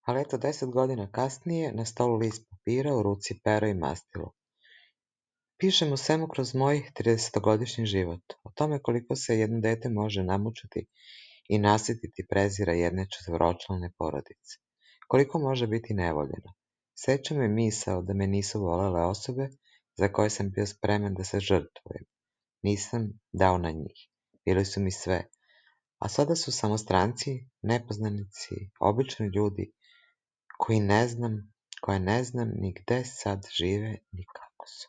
Ali eto, 10 godina kasnije, na stolu list papira, u ruci pero i mastilo. Pišem o svemu kroz moj 30-godišnji život, o tome koliko se jedno dete može namučiti i nasititi prezira jedne četvoročlane porodice, koliko može biti nevoljeno. Seća me misao da me nisu volele osobe za koje sam bio spreman da se žrtvujem. Nisam dao na njih. Bili su mi sve. A sada su samo stranci, nepoznanici, obični ljudi koje ne znam ni gde sad žive ni kako su.